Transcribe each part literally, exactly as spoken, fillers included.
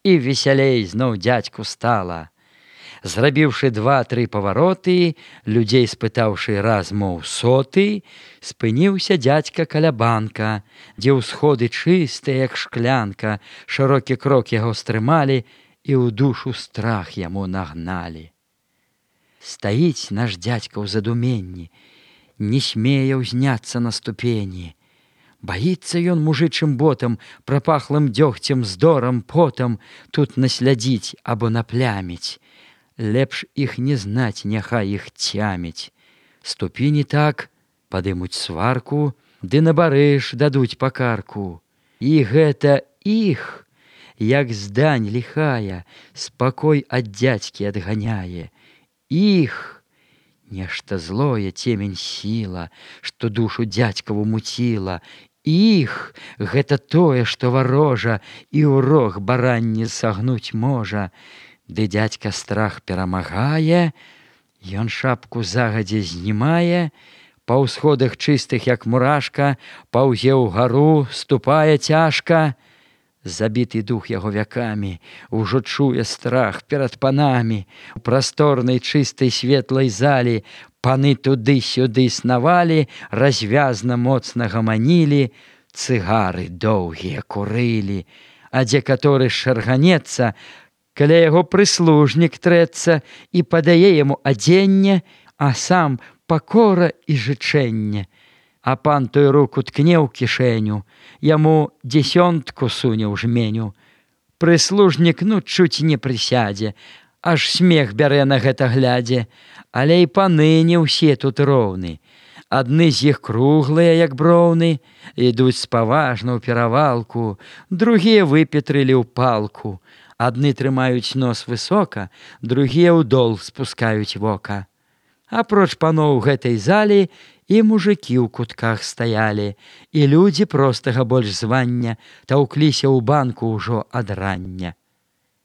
І весялей зноў дзядзьку стала. Зрабіўшы два-тры павароты, людзей спытаўшы раз, моў соты, спыніўся дзядзька каля банка, дзе ўсходы чыстыя, як шклянка, шырокі крок яго стрымалі і ў душу страх яму нагналі. Стаіць наш дзядзька ў задуменні, не смее ўзняцца на ступені. Баіцца ён мужычым ботам, прапахлым дзёгцем, здорам, потам тут наслядзіць або напляміць. Лепш іх не знаць, няхай іх цяміць. Ступі не так, падымуць сварку, ды на барыш дадуць пакарку. І гэта іх, як здань ліхая, спакой ад дзядзькі адганяе. Іх, нешта злое, цемень сіла, што душу дзядзькаву муціла. Іх, гэта тое, што варожа і ў рог баранні сагнуць можа. Ды дзядзька страх перамагае, ён шапку загадзя знімае, па ўсходах чыстых, як мурашка, паўзе ўгару, ступае цяжка. Забіты дух яго вякамі, ужо чуе страх перад панамі. У прасторнай чыстай светлай залі паны туды-сюды снавалі, развязна моцна гаманілі, цыгары доўгія курылі, а дзе каторы шарганецца, каля яго прыслужнік трэцца і падае яму адзенне, а сам пакора і жычэнне. А пан той руку ткне ў кішэню, яму дзесёнтку суне ў жменю. Прыслужнік, ну, чуць не прысядзе, аж смех бярэ на гэта глядзе. Але і паны не ўсе тут роўны. Адны з іх круглыя, як броўны, ідуць спаважна ў перавалку, другія выпетрылі ў палку. Адны трымаюць нос высока, другія ўдол спускаюць вока. Апроч паноў гэтай залі і мужыкі ў кутках стаялі, і людзі простага больш звання таўкліся ў банку ўжо ад рання.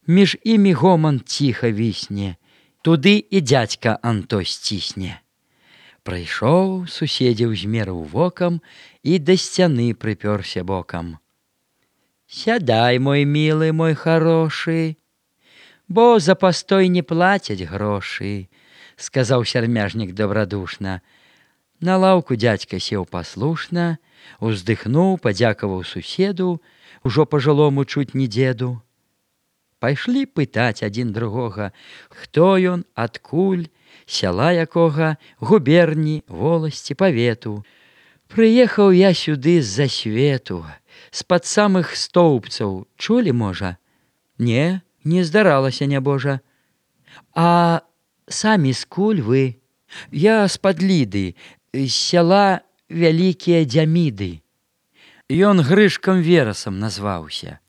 Між імі гоман ціха вісне, туды і дзядзька Анто сцісне. Прайшоў, суседзяў змерыў вокам і да сцяны прыпёрся бокам. «Сядай, мой мілы, мой харошы, бо за пастой не плацяць грошы», — сказаў сярмяжнік добрадушна. На лаўку дзядзька сеў паслушна, уздыхнуў, падзякаваў суседу, ужо пажылому чуць не дзеду. Пайшлі пытаць адзін другога, хто ён, адкуль, сяла якога, губерні, воласці, павету. «Прыехаў я сюды з-за свету, з-пад самых стоўбцаў, чулі, можа?» «Не, не здаралася, нябожа». «А самі скуль вы?» «Я з-пад Ліды, з сяла Вялікія Дзяміды». Ён Грышкам Верасам назваўся.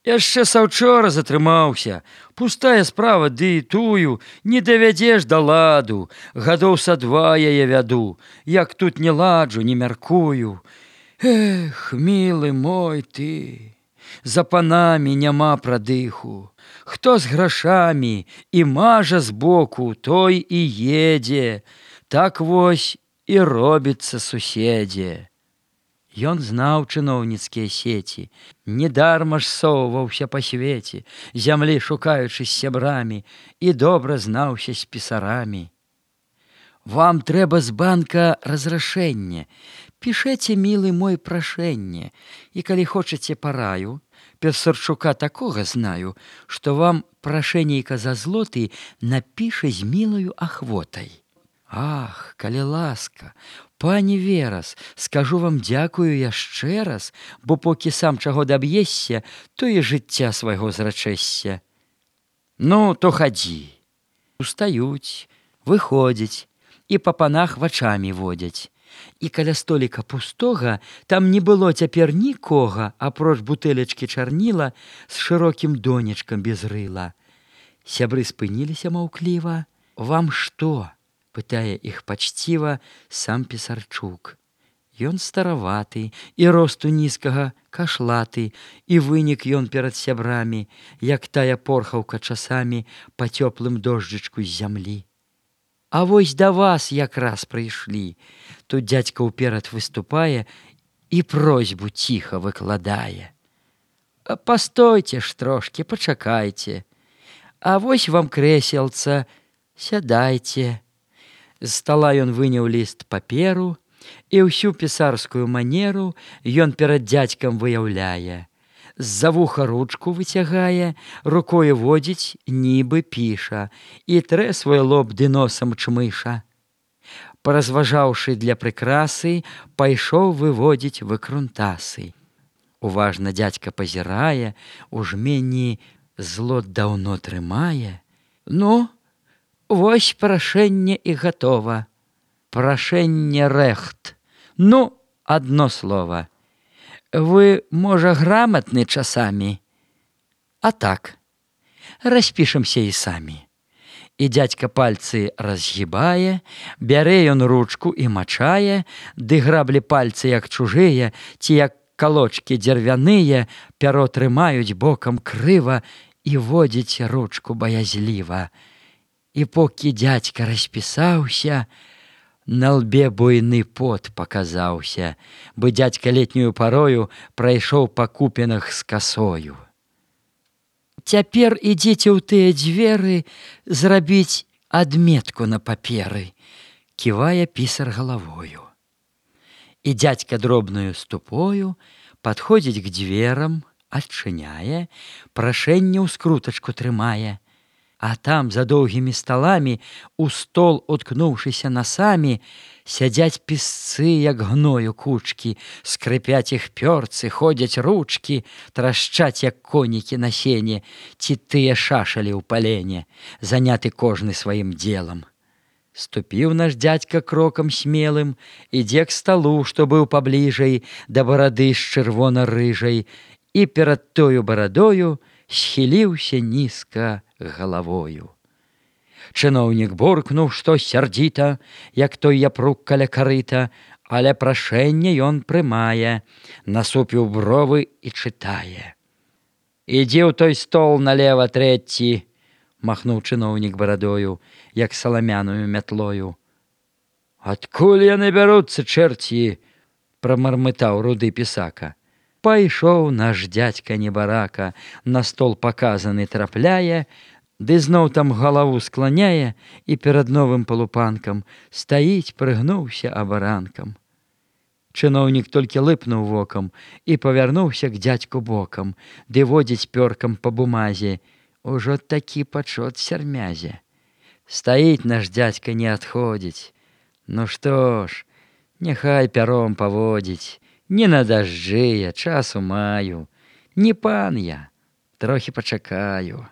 «Яшчэ саўчора затрымаўся. Пустая справа, ды тую не давядзеш да ладу. Гадоў са два яе вяду, як тут не ладжу, не мяркую. Эх, мілы мой ты, за панамі няма прадыху. Хто з грашамі і мажа збоку, той і едзе. Так вось і робіцца суседзе». Ён знаў чыноўніцкія сеці, недарма ж соўваўся па свеце, зямлі шукаючы з сябрамі, і добра знаўся з пісарамі. «Вам трэба з банка разрашэнне. Пішэце, мілы мой, прашэнне, і калі хочаце параю, Пісарчука такога знаю, што вам прашэннейка за злоты напіша з мілаю ахвотай». «Ах, калі ласка, пані Верас, скажу вам дзякую яшчэ раз, бо покі сам чаго даб'ешся, то і жыцця свайго зрачэшся». «Ну, то хадзі». Устаюць, выходзяць і па панах вачамі водзяць. І каля століка пустога там не было цяпер нікога, апроч бутэлечкі чарніла з шырокім донечкам без рыла. Сябры спыніліся маўкліва. «Вам што?» — пытае іх пачціва сам Пісарчук. Ён стараваты і росту нізкага, кашлаты, і вынік ён перад сябрамі, як тая порхаўка часамі па цёплым дожджычку з зямлі. «А вось да вас якраз прыйшлі». Тут дзядзька ўперад выступае і просьбу ціха выкладае. Пастойце ж трошкі, пачакайце. А вось вам крэселца, сядайце. З стала ён выняў ліст паперу, і ўсю пісарскую манеру ён перад дзядзькам выяўляе. З-за вуха ручку выцягае, рукою водзіць, нібы піша, і трэ свой лоб ды носам чмыша. Паразважаўшы для прыкрасы, пайшоў выводзіць выкрунтасы. Уважна дзядзька пазірае, у жменні злот даўно трымае. Ну, вось прашэнне і гатова. Прашэнне рэхт. Ну, адно слова. Вы, можа, граматны часамі? А так, распішемся і самі. І дзядзька пальцы разгібае, бярэ ён ручку і мачае, ды граблі пальцы, як чужыя, ці як калочкі дзервяныя, пяро трымаюць бокам крыва і водзіць ручку баязліва. І покі дзядзька распісаўся, на лбе буйны пот паказаўся, бы дзядзька летнюю парою прайшоў па купінах з касою. Цяпер ідзіце ў тыя дзверы зрабіць адметку на паперы, ківае пісар галавою. І дзядзька дробнаю ступою падходзіць к дзверам, адчыняе, прашэнне ў скрутачку трымае. А там за доўгімі сталамі, у стол уткнуўшыся насамі, сядзяць пісцы, як гною кучкі, скрыпяць іх пёрцы, ходзяць ручкі, трашчаць, як конікі на сене, ці тыя шашалі ў палене, заняты кожны сваім делам. Ступіў наш дзядзька крокам смелым, ідзе к сталу, што быў пабліжэй, да барады з чырвона-рыжай, і перад тою барадою схіліўся нізка галавою. Чыноўнік буркнуў, што сярдзіта, як той япрук каля карыта, але прашэнне ён прымае, насупіў бровы і чытае. «Ідзі ў той стол налева трэці», махнуў чыноўнік барадою, як саламяную мятлою. «Адкуль яны бяруцца, чэрці?» прамармытаў руды пісака. Пайшоў наш дзядзька небарака, на стол паказаны трапляе, ды зноў там галаву скланяе і перад новым палупанкам стаіць, прыгнуўся абаранкам. Чыноўнік толькі лыпнуў вокам і павярнуўся к дзядзьку бокам, ды водзіць пёркам па бумазе. Ужо такі пачот сярмязе. Стаіць наш дзядзька, не адходзіць. Ну што ж, няхай пяром паводзіць. Не на дажджы я, часу маю. Не пан я, трохі пачакаю.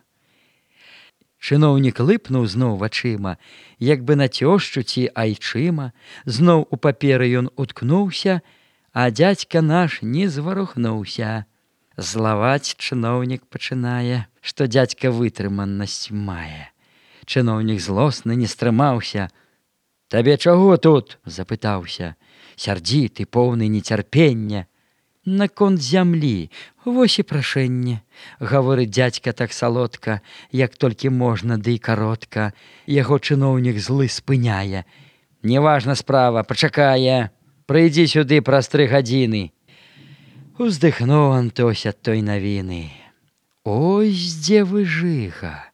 Чыноўнік лыпнуў зноў вачыма, як бы на цёшчу ці айчыма, зноў у паперы ён уткнуўся, а дзядзька наш не зварухнуўся. Злаваць чыноўнік пачынае, што дзядзька вытрыманасць мае. Чыноўнік злосны не стрымаўся. «Табе чаго тут?» – запытаўся. Сярдзіты, поўны нецярпення. «Наконт зямлі, вось і прашэнне», – гаворыць дзядзька так салодка, як толькі можна, ды і каротка. Яго чыноўнік злы спыняе. «Неважна справа, пачакае. Прыйдзі сюды праз тры гадзіны». Уздыхнуў Антось ад той навіны. Ось дзе выжыга,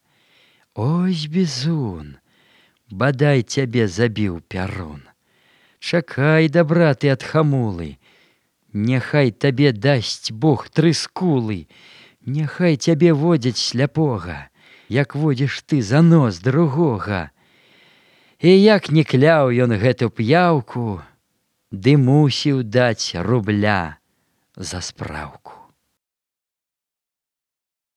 ось бізун, бадай цябе забіў пярун. Чакай дабра ты ад хамулы, няхай табе дасць Бог тры скулы, няхай цябе водзяць сляпога, як водзіш ты за нос другога. І як не кляў ён гэту п'яўку, ды мусіў даць рубля за спраўку.